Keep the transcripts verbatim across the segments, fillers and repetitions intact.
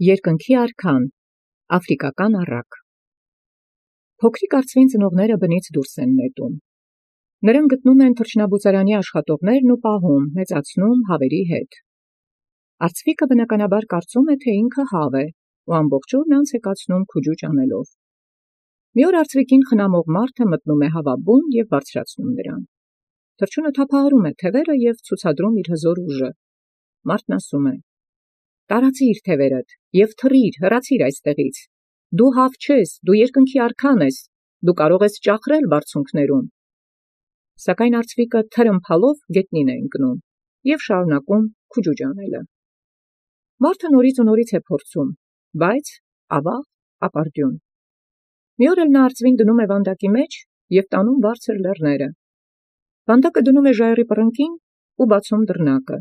Երկնքի արքան, Աֆրիկական առակ։ Փոքրիկ արծուին ծնողները բնից դուրս են նետում։ Նրանք գտնում են թռչնաբուծարանի աշխատողներն ու պահում, մեծացնում հավերի հետ։ Արծվիկը բնականաբար կարծում է, թե ինքը հավ է, ու ամբողջ օրն անց է կացնում քուջուջ անելով։ Մի օր արծվիկին խնամող մարդը մտնում է հավաբուն և բարձրացնում նրան։ Թռչունը թափահարում է թևերը և ցուցադրում իր հզոր ուժը։ Մարդն ասում է. «Տարածիր թևերդ և թռիր, հեռացիր այստեղից։ Դու հավ չես, դու երկնքի արքան ես, դու կարող ես ճախրել բարձունքներում»։ Սակայն արծվիկը թրմփալով գետնին է ընկնում և շարունակում քուջուջ անելը։ Մարդը նորից ու նորից է փորձում, բայց ավաղ, ապարդյուն։ Մի օր էլ նա արծվին դնում է վանդակի մեջ և տանում բարձր լեռները։ Վանդակը դնում է ժայռի պռնկին ու բացում դռնակը։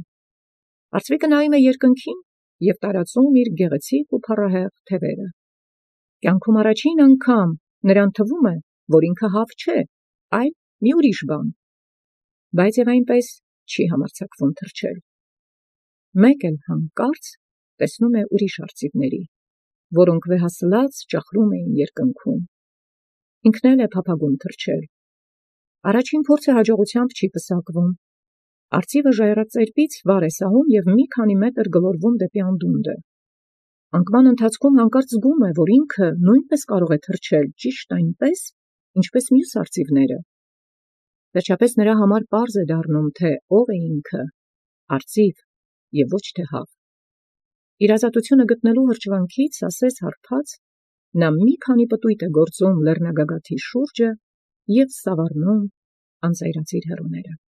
Արծվիկը նայում է երկնքին և տարածում իր գեղեցիկ ու փառահեղ թևերը։ Կյանքում առաջին անգամ նրան թվում է, որ ինքը հավ չէ, այլ մի ուրիշ բան։ Բայց և այնպես չի համարձակվում թռչել։ Մեկ էլ հանկարծ տեսնում է ուրիշ արծիվների, որոնք վեհասլաց ճախրում էին երկնքում։ Ինքն էլ է փափագում թռչել։ Առաջին փորձը հաջողությամբ չի պսակվում։ Արծիվը ժայռածերպից վար է սահում և մի քանի մետր գլորվում դեպի անդունդը։ Անկման ընթացքում հանկարծ զգում է, որ ինքը նույնպես կարող է թռչել ճիշտ այնպես, ինչպես մյուս արծիվները։ Վերջապես նրա համար պարզ է դառնում, թե ով է ինքը՝ արծիվ և ոչ թե հավ։ Իր ազատությունը գտնելու հրճվանքից ասես հարբած, նա մի քանի պտույտ է գործում լեռնագագաթի շուրջը և սավառնում անծայրածիր հեռուները։